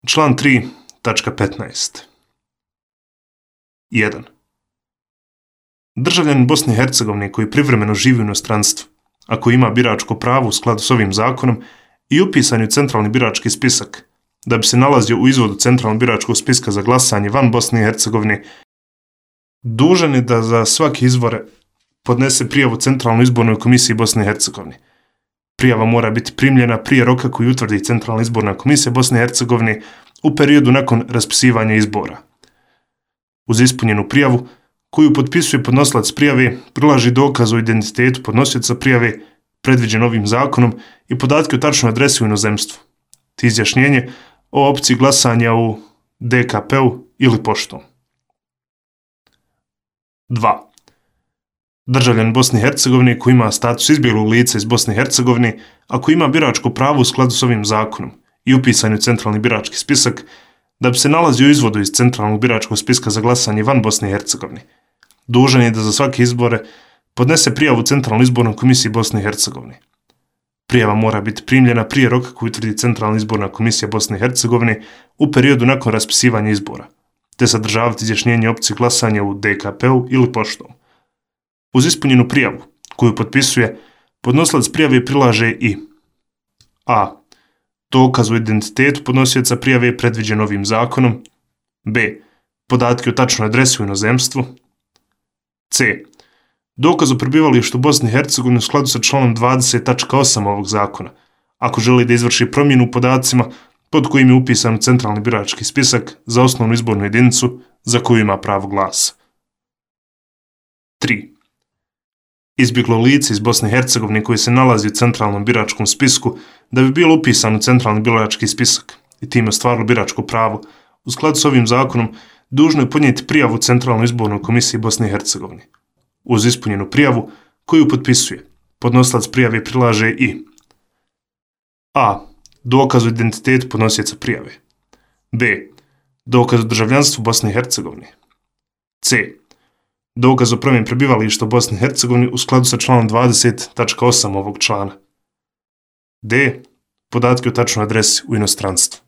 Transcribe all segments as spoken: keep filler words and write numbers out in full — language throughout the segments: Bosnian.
Član tri tačka petnaest. jedan. Državljanin Bosne i Hercegovine koji privremeno živi u inostranstvu, a koji ima biračko pravo u skladu s ovim zakonom i upisan je u centralni birački spisak, da bi se nalazio u izvodu centralnog biračkog spiska za glasanje van Bosne i Hercegovine, dužan je da za svake izbore podnese prijavu Centralnoj izbornoj komisiji Bosne i Hercegovine. Prijava mora biti primljena prije roka koji utvrdi Centralna izborna komisija Bosne i Hercegovine u periodu nakon raspisivanja izbora. Uz ispunjenu prijavu, koju potpisuje podnosilac prijave, prilaži dokaz o identitetu podnosioca prijave, predviđen ovim zakonom, i podatke o tačnoj adresi u inozemstvu, te izjašnjenje o opciji glasanja u D K P-u ili poštom. dva. Državljan Bosne i Hercegovine koji ima status izbjeglog lica iz Bosne i Hercegovine, a koji ima biračko pravo u skladu s ovim zakonom i upisan u centralni birački spisak, da bi se nalazio u izvodu iz centralnog biračkog spiska za glasanje van Bosne i Hercegovine, dužan je da za svake izbore podnese prijavu Centralnoj izbornoj komisiji Bosne i Hercegovine. Prijava mora biti primljena prije roka koji utvrdi Centralna izborna komisija Bosne i Hercegovine u periodu nakon raspisivanja izbora, te sadržavati izjašnjenje opcije glasanja u D K P-u ili poštom. Uz ispunjenu prijavu, koju potpisuje, podnosilac prijave prilaže i a. dokaz o identitetu podnosioca prijave predviđen ovim zakonom, b. podatke o tačnoj adresi u inozemstvu, c. dokaz o prebivalištu u Bosni i Hercegovini u skladu sa članom dvadeset tačka osam ovog zakona, ako želi da izvrši promjenu u podacima pod kojim je upisan centralni birački spisak za osnovnu izbornu jedinicu za koju ima pravo glasa. tri. Izbjeglo lice iz Bosne i Hercegovine koji se nalazi u centralnom biračkom spisku da bi bilo upisano u centralni birački spisak i time ostvarilo biračko pravo, u skladu s ovim zakonom dužno je podnijeti prijavu Centralnoj izbornoj komisiji Bosne i Hercegovine. Uz ispunjenu prijavu, koju potpisuje, podnosilac prijave prilaže i a. dokaz o identitetu podnosioca prijave, b. dokaz o državljanstvu Bosne i Hercegovine, c. dokaz o promjeni prebivališta u Bosni i Hercegovini u skladu sa članom dvadeset tačka osam ovog člana, d. podatke o tačnoj adresi u inostranstvu.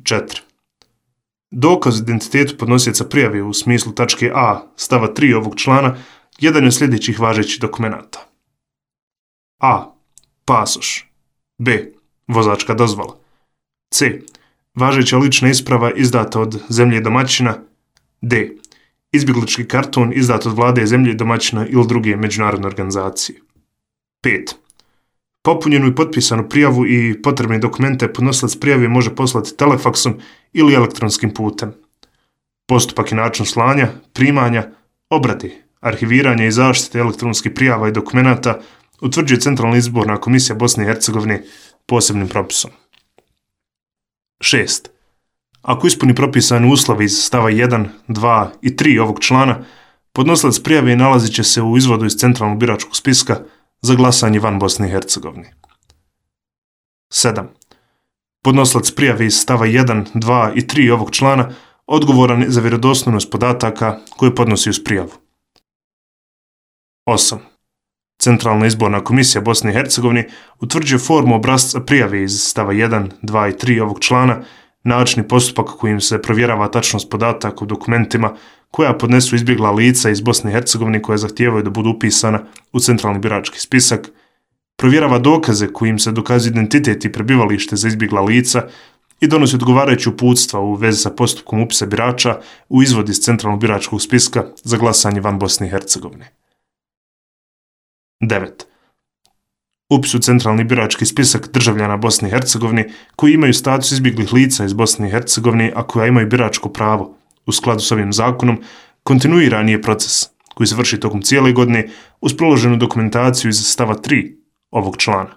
četiri. Dokaz o identitetu podnosioca prijave u smislu tačke a stava tri ovog člana jedan je od sljedećih važećih dokumenata. a. pasoš, b. vozačka dozvola, c. važeća lična isprava izdata od zemlje domaćina, d. izbjeglički karton izdat od vlade zemlje domaćina ili druge međunarodne organizacije. pet. Popunjenu i potpisanu prijavu i potrebne dokumente podnosilac prijave može poslati telefaksom ili elektronskim putem. Postupak i način slanja, primanja, obrade, arhiviranja i zaštite elektronskih prijava i dokumenata utvrđuje Centralna izborna komisija Bosne i Hercegovine posebnim propisom. šest. Ako ispuni propisane uslove iz stava jedan, dva i tri ovog člana, podnosilac prijave nalazit će se u izvodu iz centralnog biračkog spiska za glasanje van Bosne i Hercegovine. sedam. Podnosilac prijave iz stava jedan, dva i tri ovog člana odgovoran je za vjerodostojnost podataka koje podnosi uz prijavu. osam. Centralna izborna komisija Bosne i Hercegovine utvrđuje formu obrasca prijave iz stava jedan, dva i tri ovog člana, način i postupak kojim se provjerava tačnost podataka u dokumentima koja podnesu izbjegla lica iz Bosne i Hercegovine koja zahtijevaju da budu upisana u centralni birački spisak, provjerava dokaze kojim se dokazuje identitet i prebivalište za izbjegla lica i donosi odgovarajuće uputstva u vezi sa postupkom upisa birača u izvod iz centralnog biračkog spiska za glasanje van Bosne i Hercegovine. devet. Upis u centralni birački spisak državljana Bosne i Hercegovine koji imaju status izbjeglih lica iz Bosne i Hercegovine, a koja imaju biračko pravo u skladu s ovim zakonom, kontinuirani je proces koji se vrši tokom cijele godine uz priloženu dokumentaciju iz stava tri ovog člana.